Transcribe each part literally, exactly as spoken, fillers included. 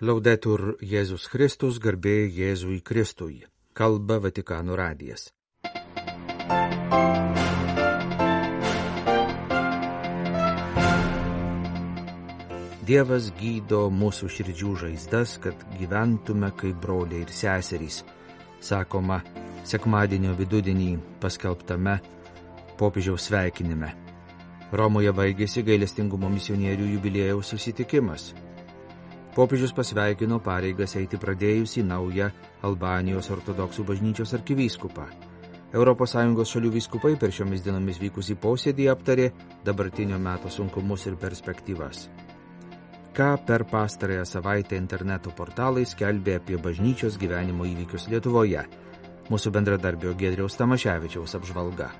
Laudetur Jėzus Kristus, garbė Jėzui Kristui. Kalba Vatikano radijas. Dievas gydo mūsų širdžių žaizdas, kad gyventume kaip broliai ir seserys, sakoma sekmadienio vidudienį paskelbtame popiežiaus sveikinime. Romoje baigėsi gailestingumo misionierių jubiliejaus susitikimas. Popiežius pasveikino pareigas eiti pradėjusį naują Albanijos ortodoksų bažnyčios arkivyskupą. Europos Sąjungos šalių vyskupai per šiomis dienomis vykusį posėdį aptarė dabartinio meto sunkumus ir perspektyvas. Ką per pastarąją savaitę interneto portalai skelbė apie bažnyčios gyvenimo įvykius Lietuvoje. Mūsų bendradarbio Giedriaus Tamaševičiaus apžvalga.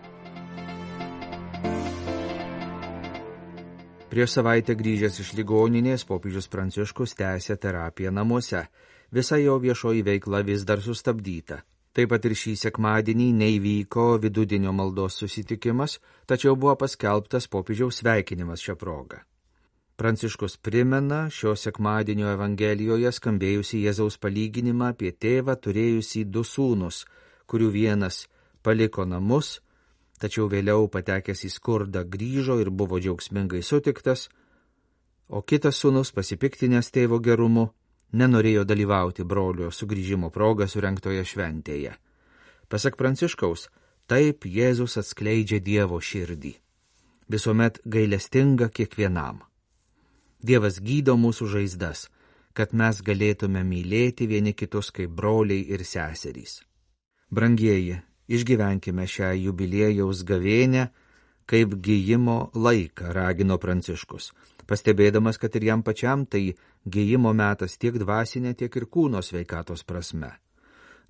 Prieš savaitę grįžęs iš ligoninės, popiežius Pranciškus tęsė terapiją namuose. Visa jo viešoji veikla vis dar sustabdyta. Taip pat ir šį sekmadienį neįvyko vidudienio maldos susitikimas, tačiau buvo paskelbtas popiežiaus sveikinimas šią progą. Pranciškus primena šio sekmadienio Evangelijoje skambėjusi Jėzaus palyginimą apie tėvą turėjusį du sūnus, kurių vienas paliko namus, tačiau vėliau patekęs į skurdą grįžo ir buvo džiaugsmingai sutiktas, o kitas sūnus, pasipiktinęs tėvo gerumu, nenorėjo dalyvauti brolio sugrįžimo progą surengtoje šventėje. Pasak Pranciškaus, taip Jėzus atskleidžia Dievo širdį, visuomet gailestinga kiekvienam. Dievas gydo mūsų žaizdas, kad mes galėtume mylėti vieni kitus kaip broliai ir seserys. Brangieji, išgyvenkime šią jubiliejaus gavėnią kaip gijimo laiką, ragino Pranciškus, pastebėdamas, kad ir jam pačiam tai gijimo metas tiek dvasinė, tiek ir kūno sveikatos prasme.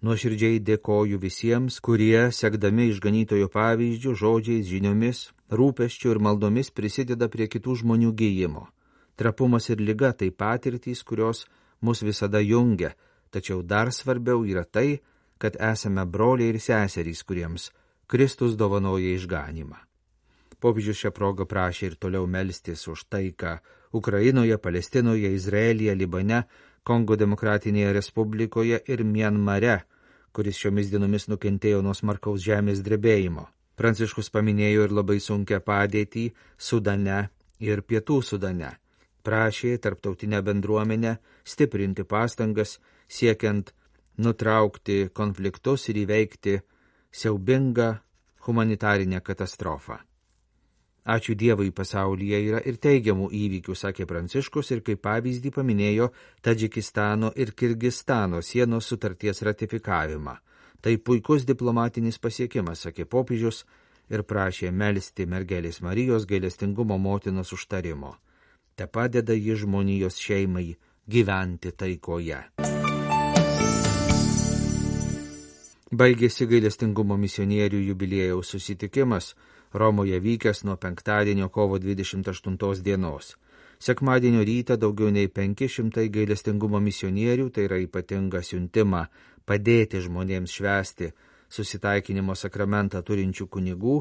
Nuoširdžiai dėkoju visiems, kurie, sekdami išganytojo pavyzdžių, žodžiais, žiniomis, rūpesčiu ir maldomis prisideda prie kitų žmonių gijimo. Trapumas ir liga tai patirtys, kurios mus visada jungia, tačiau dar svarbiau yra tai, kad esame broliai ir seserys, kuriems Kristus dovanoja išganymą. Popiežius šią progą prašė ir toliau melstis už taiką Ukrainoje, Palestinoje, Izraelyje, Libane, Kongo Demokratinėje Respublikoje ir Mianmare, kuris šiomis dienomis nukentėjo nuo smarkaus žemės drebėjimo. Pranciškus paminėjo ir labai sunkią padėtį Sudane ir Pietų Sudane. Prašė tarptautinę bendruomenę stiprinti pastangas, siekiant nutraukti konfliktus ir įveikti siaubingą humanitarinę katastrofą. Ačiū Dievui, pasaulyje yra ir teigiamų įvykių, sakė Pranciškus, ir kaip pavyzdį paminėjo Tadžikistano ir Kirgistano sienos sutarties ratifikavimą. Tai puikus diplomatinis pasiekimas, sakė popiežius, ir prašė melsti mergelės Marijos gailestingumo motinos užtarimo. Te padeda ji žmonijos šeimai gyventi taikoje. Baigėsi gailestingumo misionierių jubiliejaus susitikimas Romoje vykęs nuo penktadienio kovo dvidešimt aštuntos dienos. Sekmadienio rytą daugiau nei penki šimtai gailestingumo misionierių, tai yra ypatingą siuntimą padėti žmonėms švęsti susitaikinimo sakramentą turinčių kunigų,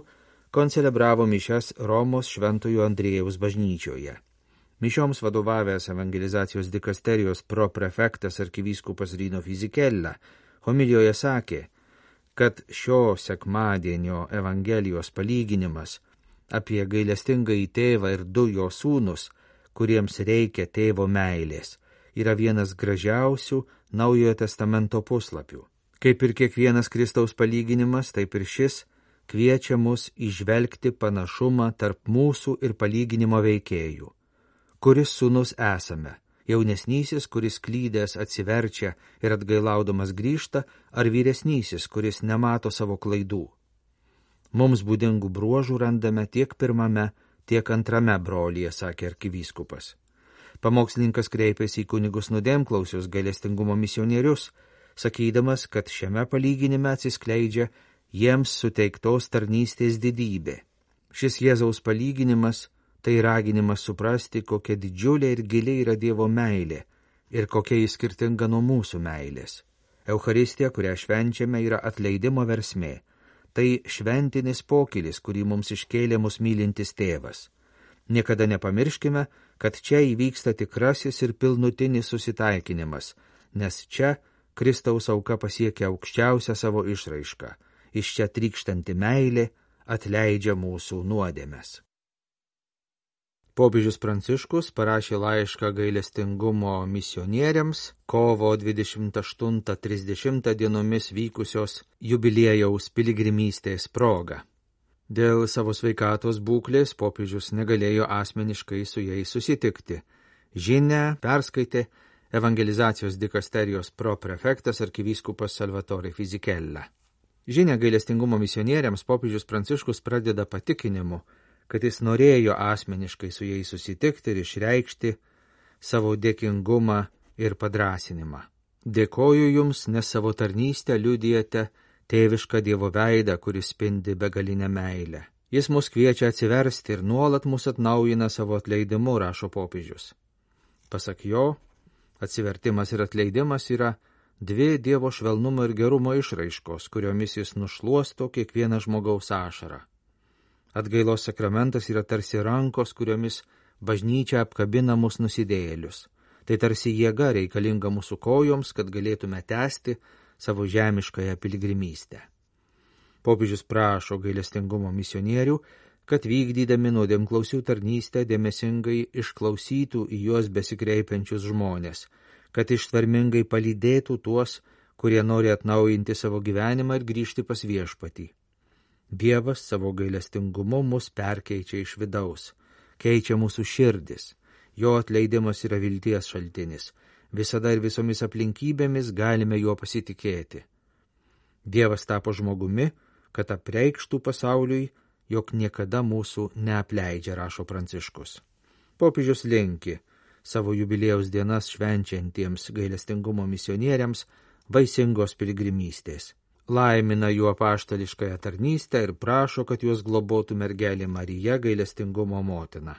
koncelebravo mišias Romos Šventojo Andriejaus bažnyčioje. Mišioms vadovavęs evangelizacijos dikasterijos proprefektas arkivyskupas Rino Fizikella homilijoje sakė, kad šio sekmadienio Evangelijos palyginimas apie gailestingąjį tėvą ir du jo sūnus, kuriems reikia tėvo meilės, yra vienas gražiausių Naujojo testamento puslapių. Kaip ir kiekvienas Kristaus palyginimas, taip ir šis kviečia mus įžvelgti panašumą tarp mūsų ir palyginimo veikėjų. Kuris sūnus esame, jaunesnysis, kuris klydęs atsiverčia ir atgailaudamas grįžta, ar vyresnysis, kuris nemato savo klaidų. Mums būdingų bruožų randame tiek pirmame, tiek antrame brolyje, sakė arkivyskupas. Pamokslininkas kreipėsi į kunigus nuodėmklausius gailestingumo misionierius, sakydamas, kad šiame palyginime atsiskleidžia jiems suteiktos tarnystės didybė. Šis Jėzaus palyginimas tai raginimas suprasti, kokia didžiulė ir giliai yra Dievo meilė ir kokia jis skirtinga nuo mūsų meilės. Eucharistija, kurią švenčiame, yra atleidimo versmė. Tai šventinis pokylis, kurį mums iškėlė mus mylintis tėvas. Niekada nepamirškime, kad čia įvyksta tikrasis ir pilnutinis susitaikinimas, nes čia Kristaus auka pasiekia aukščiausią savo išraišką. Iš čia trykštanti meilė atleidžia mūsų nuodėmes. Popiežius Pranciškus parašė laišką gailestingumo misionieriams kovo dvidešimt aštuntą trisdešimtą dienomis vykusios jubiliejaus piligrimystės proga. Dėl savo sveikatos būklės popiežius negalėjo asmeniškai su jais susitikti. Žinią perskaitė evangelizacijos dikasterijos proprefektas arkivyskupas Salvatore Fisichella. Žinią gailestingumo misionieriams popiežius Pranciškus pradeda patikinimu, kad jis norėjo asmeniškai su jais susitikti ir išreikšti savo dėkingumą ir padrasinimą. Dėkoju jums, nes savo tarnystę liudijate tėvišką Dievo veidą, kuris spindi begalinę meilę. Jis mus kviečia atsiversti ir nuolat mus atnaujina savo atleidimu, rašo popiežius. Pasak jo, atsivertimas ir atleidimas yra dvi Dievo švelnumo ir gerumo išraiškos, kuriomis jis nušluosto kiekvieną žmogaus ašarą. Atgailos sakramentas yra tarsi rankos, kuriomis bažnyčia apkabina mus nusidėjėlius. Tai tarsi jėga reikalinga mūsų kojoms, kad galėtume tęsti savo žemiškąją piligrimystę. Popiežius prašo gailestingumo misionierių, kad vykdydami nuodėmklausių tarnystę dėmesingai išklausytų į juos besikreipiančius žmonės, kad ištvermingai palydėtų tuos, kurie nori atnaujinti savo gyvenimą ir grįžti pas viešpatį. Dievas savo gailestingumu mus perkeičia iš vidaus, keičia mūsų širdis, jo atleidimas yra vilties šaltinis, visada ir visomis aplinkybėmis galime juo pasitikėti. Dievas tapo žmogumi, kad apreikštų pasauliui, jog niekada mūsų neapleidžia, rašo Pranciškus. Popiežius linki savo jubiliejaus dienas švenčiantiems gailestingumo misionieriams vaisingos piligrimystės. Laimina jų apaštališkąją tarnystę ir prašo, kad juos globotų mergelė Marija, gailestingumo motina.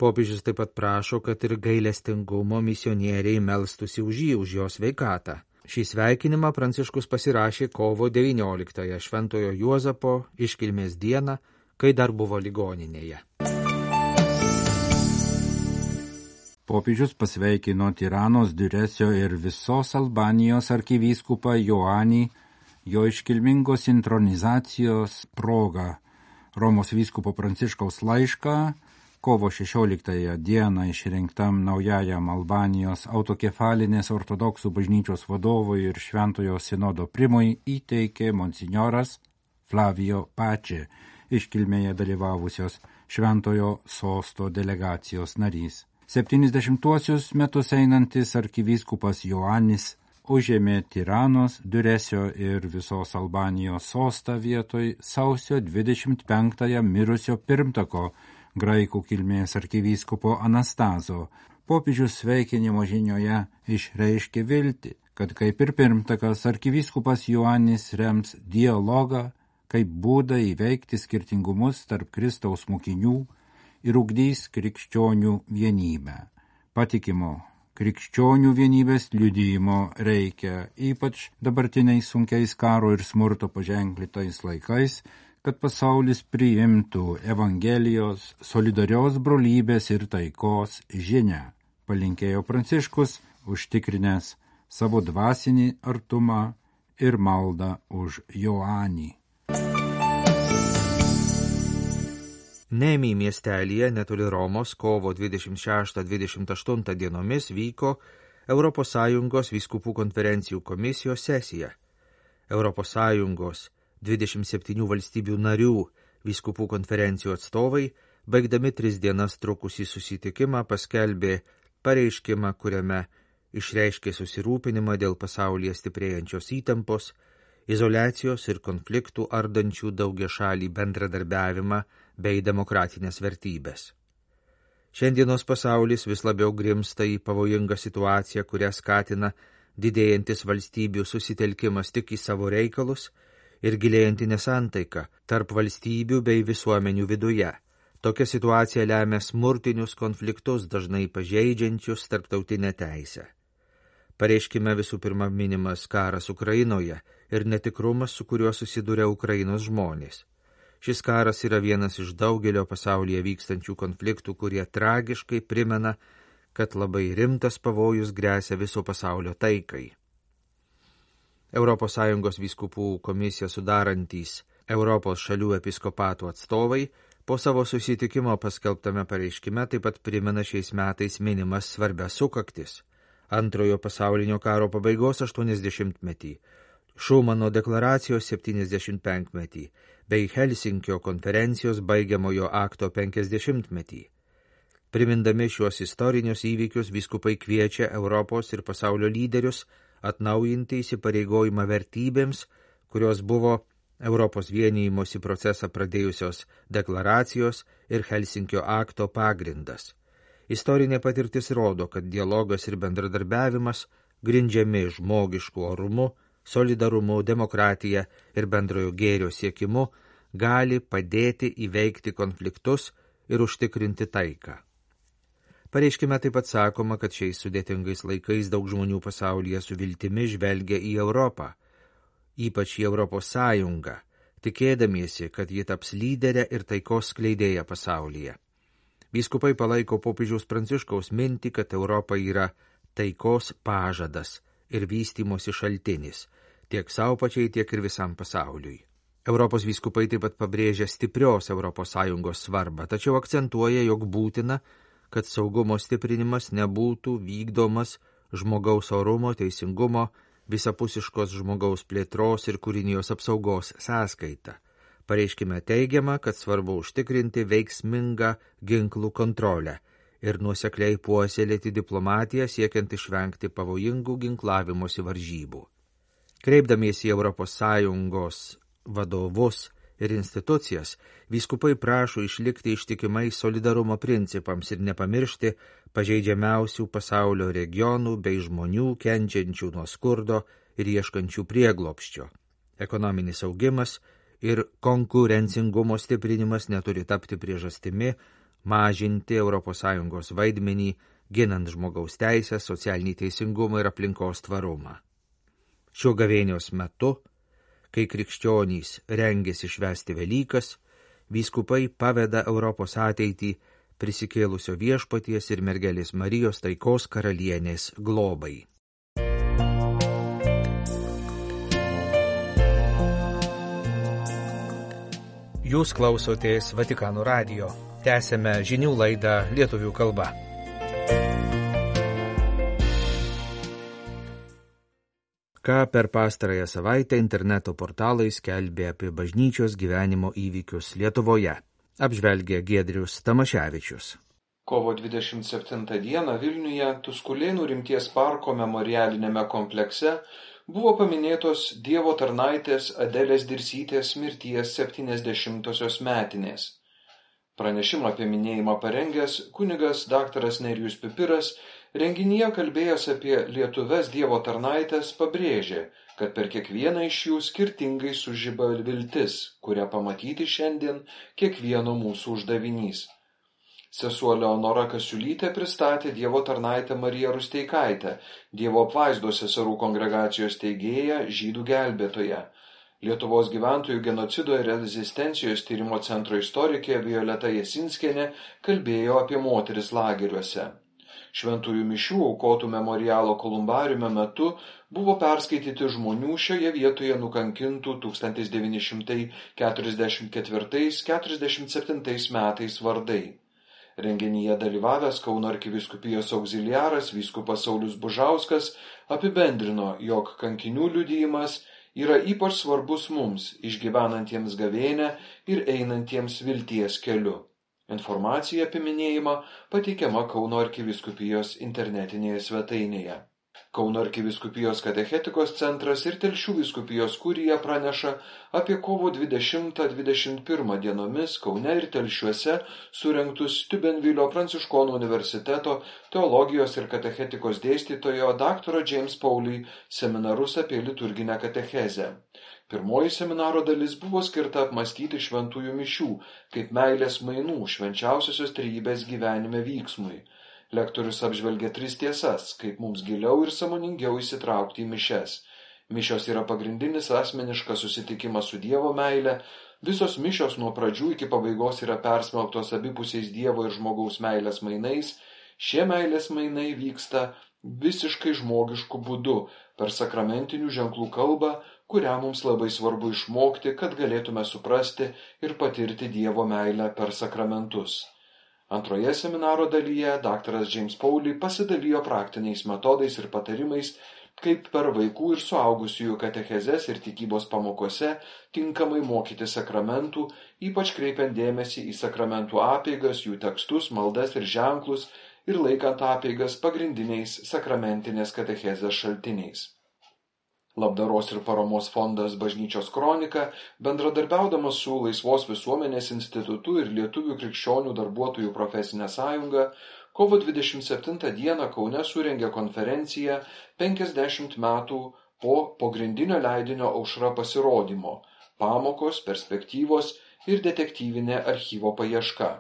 Popiežius taip pat prašo, kad ir gailestingumo misionieriai melstųsi už jį, už jo sveikatą. Šį sveikinimą Pranciškus pasirašė kovo devynioliktąją Šventojo Juozapo iškilmės dieną, kai dar buvo ligoninėje. Popiežius pasveikino Tiranos, Duresio ir visos Albanijos arkivyskupą Joanį jo iškilmingos intronizacijos proga. Romos vyskupo Pranciškaus laišką kovo šešioliktąją dieną išrinktam naujajam Albanijos autokefalinės ortodoksų bažnyčios vadovui ir Šventojo sinodo primui įteikė monsinjoras Flavio Pace, iškilmėje dalyvavusios Šventojo sosto delegacijos narys. septyniasdešimtuosius metus einantis arkivyskupas Joanis užėmė Tiranos, Duresio ir visos Albanijos sostą vietoj sausio dvidešimt penktąją mirusio pirmtako graikų kilmės arkivyskupo Anastazo. Popiežius sveikinimo žinioje išreiškė viltį, kad kaip ir pirmtakas arkivyskupas Joanis rems dialogą kaip būdą įveikti skirtingumus tarp Kristaus mokinių ir ugdys krikščionių vienybę. Patikimo krikščionių vienybės liudijimo reikia, ypač dabartiniais sunkiais karo ir smurto paženklytais laikais, kad pasaulis priimtų Evangelijos, solidarios brolybės ir taikos žinią, palinkėjo Pranciškus, užtikrinęs savo dvasinį artumą ir maldą už Joanį. Nemi miestelyje netoli Romos kovo dvidešimt šeštą dvidešimt aštuntą dienomis vyko Europos Sąjungos vyskupų konferencijų komisijos sesija. Europos Sąjungos dvidešimt septynių valstybių narių vyskupų konferencijų atstovai, baigdami tris dienas trukusį susitikimą, paskelbė pareiškimą, kuriame išreiškė susirūpinimą dėl pasaulyje stiprėjančios įtampos, izoliacijos ir konfliktų ardančių daugiašalį bendradarbiavimą bei demokratinės vertybės. Šiandienos pasaulis vis labiau grimsta į pavojingą situaciją, kurią skatina didėjantis valstybių susitelkimas tik į savo reikalus ir gilėjanti nesantaika tarp valstybių bei visuomenių viduje. Tokia situacija lemia smurtinius konfliktus, dažnai pažeidžiančius tarptautinę teisę. Pareiškime visų pirma minimas karas Ukrainoje ir netikrumas, su kuriuo susiduria Ukrainos žmonės. Šis karas yra vienas iš daugelio pasaulyje vykstančių konfliktų, kurie tragiškai primena, kad labai rimtas pavojus gresia viso pasaulio taikai. Europos Sąjungos vyskupų komisiją sudarantys Europos šalių episkopatų atstovai po savo susitikimo paskelbtame pareiškime taip pat primena šiais metais minimas svarbias sukaktis: Antrojo pasaulinio karo pabaigos aštuoniasdešimtmetį, Šumano deklaracijos septyniasdešimtpenkmetį bei Helsinkio konferencijos baigiamojo akto penkiasdešimtmetį. Primindami šiuos istorinius įvykius, vyskupai kviečia Europos ir pasaulio lyderius atnaujinti įsipareigojimą vertybėms, kurios buvo Europos vienijimosi procesą pradėjusios deklaracijos ir Helsinkio akto pagrindas. Istorinė patirtis rodo, kad dialogas ir bendradarbiavimas, grindžiami žmogišku orumu, solidarumu, demokratija ir bendrojo gėrio siekimu, gali padėti įveikti konfliktus ir užtikrinti taiką. Pareiškime taip pat sakoma, kad šiais sudėtingais laikais daug žmonių pasaulyje su viltimi žvelgia į Europą, ypač į Europos Sąjungą, tikėdamiesi, kad ji taps lyderė ir taikos skleidėja pasaulyje. Vyskupai palaiko popiežiaus Pranciškaus mintį, kad Europa yra taikos pažadas ir vystymosi šaltinis, tiek savo pačiai, tiek ir visam pasauliui. Europos vyskupai taip pat pabrėžia stiprios Europos Sąjungos svarbą, tačiau akcentuoja, jog būtina, kad saugumo stiprinimas nebūtų vykdomas žmogaus orumo, teisingumo, visapusiškos žmogaus plėtros ir kūrinijos apsaugos sąskaita. Pareiškime teigiama, kad svarbu užtikrinti veiksmingą ginklų kontrolę ir nuosekliai puoselėti diplomatiją siekiant išvengti pavojingų ginklavimosi varžybų. Kreipdamiesi į Europos Sąjungos vadovus ir institucijas, vyskupai prašo išlikti ištikimai solidarumo principams ir nepamiršti pažeidžiamiausių pasaulio regionų bei žmonių kenčiančių nuo skurdo ir ieškančių prieglobsčio. Ekonominis augimas ir konkurencingumo stiprinimas neturi tapti priežastimi mažinti Europos Sąjungos vaidmenį, ginant žmogaus teisės, socialinį teisingumą ir aplinkos tvarumą. Šio gavėnios metu, kai krikščionys rengiasi švęsti Velykas, vyskupai paveda Europos ateitį prisikėlusio viešpaties ir mergelės Marijos taikos karalienės globai. Jūs klausotės Vatikano radijo. Tęsėme žinių laidą lietuvių kalba. Ką per pastarąją savaitę interneto portalai skelbė apie bažnyčios gyvenimo įvykius Lietuvoje, apžvelgė Giedrius Tamaševičius. Kovo dvidešimt septintą dieną Vilniuje Tuskulėnų rimties parko memorialinėme komplekse buvo paminėtos Dievo tarnaitės Adelės Dirsytės mirties septyniasdešimtosios metinės. Pranešimą apie minėjimą parengęs kunigas daktaras Nerijus Pipiras renginyje kalbėjęs apie lietuves Dievo tarnaitės pabrėžė, kad per kiekvieną iš jų skirtingai sužiba viltis, kurią pamatyti šiandien kiekvieno mūsų uždavinys. Sesuo Leonora Kasiulytė pristatė Dievo tarnaitę Mariją Rusteikaitę, Dievo apvaizdos seserų kongregacijos steigėją, žydų gelbėtoją. Lietuvos gyventojų genocido ir rezistencijos tyrimo centro istorikė Violeta Jasinskienė kalbėjo apie moteris lageriuose. Šventųjų mišių aukotų memorialo kolumbariume metu buvo perskaityti žmonių šioje vietoje nukankintų tūkstantis devyni šimtai keturiasdešimt ketvirtais keturiasdešimt septintais metais vardai. Renginyje dalyvavęs Kauno arkivyskupijos augziliaras vyskupas Saulius Bužauskas apibendrino, jog kankinių liudijimas yra ypač svarbus mums, išgyvenantiems gavėnią ir einantiems vilties keliu. Informacija apie minėjimą pateikiama Kauno arkivyskupijos internetinėje svetainėje. Kauno arkivyskupijos katechetikos centras ir Telšių vyskupijos kurija praneša apie kovo dvidešimtą dvidešimt pirmą dienomis Kaune ir Telšiuose surengtus Tiubenvilio Pranciškonų universiteto teologijos ir katechetikos dėstytojo daktaro James Pauly seminarus apie liturginę katechezę. Pirmoji seminaro dalis buvo skirta apmąstyti šventųjų mišių, kaip meilės mainų švenčiausiosios trejybės gyvenime vyksmui. Lektorius apžvelgia tris tiesas, kaip mums giliau ir sąmoningiau įsitraukti į mišias. Mišios yra pagrindinis asmeniškas susitikimas su Dievo meile, Visos mišios nuo pradžių iki pabaigos yra persmelktos abipusiais Dievo ir žmogaus meilės mainais. Šie meilės mainai vyksta visiškai žmogišku būdu, per sakramentinių ženklų kalbą, kurią mums labai svarbu išmokti, kad galėtume suprasti ir patirti Dievo meilę per sakramentus. Antroje seminaro dalyje daktaras James Pauly pasidalijo praktiniais metodais ir patarimais, kaip per vaikų ir suaugusiųjų katechezes ir tikybos pamokose tinkamai mokyti sakramentų, ypač kreipiant dėmesį į sakramentų apeigas, jų tekstus, maldas ir ženklus ir laikant apeigas pagrindiniais sakramentinės katechezės šaltiniais. Labdaros ir paramos fondas Bažnyčios kronika, bendradarbiaudamas su Laisvos visuomenės institutu ir Lietuvių krikščionių darbuotojų profesinė sąjunga, kovo dvidešimt septintą dieną Kaune surengė konferenciją penkiasdešimt metų po pogrindinio leidinio Aušra pasirodymo – pamokos, perspektyvos ir detektyvinė archyvo paieška.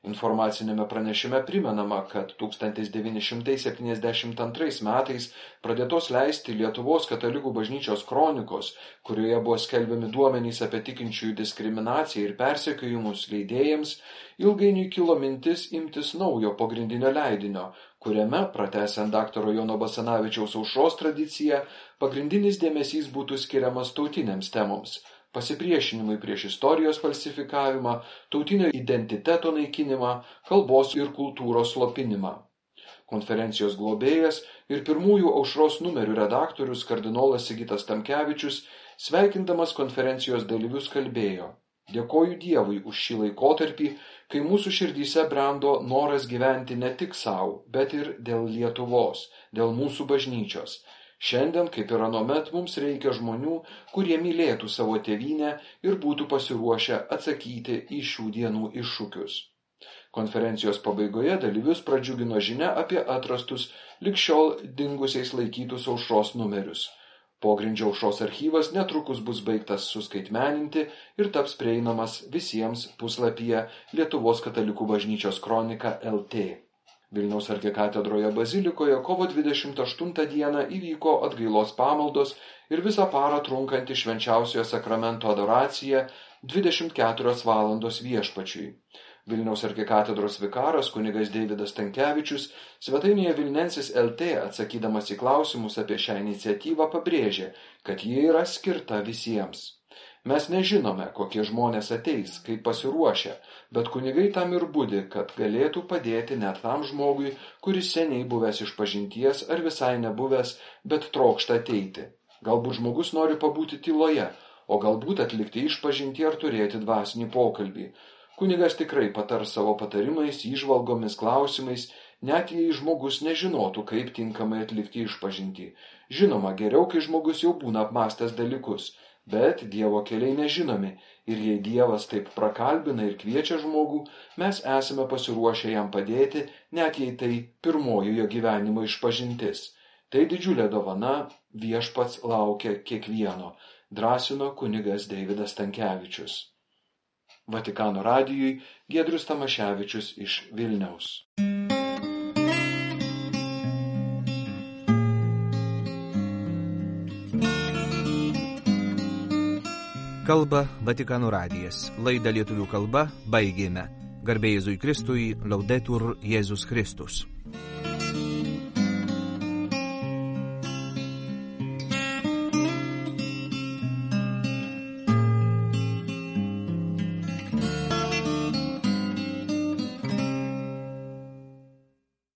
Informacinėme pranešime primenama, kad tūkstantis devyni šimtai septyniasdešimt antrais metais pradėtos leisti Lietuvos katalikų bažnyčios kronikos, kurioje buvo skelbiami duomenys apie tikinčiųjų diskriminaciją ir persekiojimus leidėjams, ilgainiui kilo mintis imtis naujo pogrindinio leidinio, kuriame, pratęsiant daktaro Jono Basanavičiaus Aušros tradiciją, pagrindinis dėmesys būtų skiriamas tautinėms temoms – pasipriešinimui prieš istorijos falsifikavimą, tautinio identiteto naikinimą, kalbos ir kultūros slopinimą. Konferencijos globėjas ir pirmųjų Aušros numerių redaktorius kardinolas Sigitas Tamkevičius, sveikindamas konferencijos dalyvius, kalbėjo: Dėkoju Dievui už šį laikotarpį, kai mūsų širdyse brendo noras gyventi ne tik savo, bet ir dėl Lietuvos, dėl mūsų bažnyčios. Šiandien, kaip ir anuomet, mums reikia žmonių, kurie mylėtų savo tėvynę ir būtų pasiruošę atsakyti į šių dienų iššūkius. Konferencijos pabaigoje dalyvius pradžiugino žinia apie atrastus lig šiol dingusiais laikytus Aušros numerius. Pogrindžio Aušros archyvas netrukus bus baigtas suskaitmeninti ir taps prieinamas visiems puslapyje Lietuvos katalikų bažnyčios kronika L T. Vilniaus arkikatedroje bazilikoje kovo dvidešimt aštuntą dieną įvyko atgailos pamaldos ir visą parą trunkanti švenčiausiojo sakramento adoracija dvidešimt keturios valandos Viešpačiui. Vilniaus arkikatedros vikaras kunigas Deividas Stankevičius svetainėje Vilnensis L T, atsakydamas į klausimus apie šią iniciatyvą, pabrėžė, kad ji yra skirta visiems. Mes nežinome, kokie žmonės ateis, kaip pasiruošę, bet kunigai tam ir budi, kad galėtų padėti net tam žmogui, kuris seniai buvęs išpažinties ar visai nebuvęs, bet trokšta ateiti. Galbūt žmogus nori pabūti tyloje, o galbūt atlikti išpažintį ar turėti dvasinį pokalbį. Kunigas tikrai patars savo patarimais, įžvalgomis, klausimais, net jei žmogus nežinotų, kaip tinkamai atlikti išpažintį. Žinoma, geriau, kai žmogus jau būna apmastęs dalykus. Bet Dievo keliai nežinomi ir jei Dievas taip prakalbina ir kviečia žmogų, mes esame pasiruošę jam padėti, net jei tai pirmoji jo gyvenimo išpažintis. Tai didžiulė dovana, Viešpats laukia kiekvieno, drąsino kunigas Deividas Stankevičius. Vatikano radijui Giedrius Tamaševičius iš Vilniaus. Kalba Vatikano radijas. Laidą lietuvių kalba baigėme. Garbė Jėzui Kristui, Laudetur Jėzus Kristus.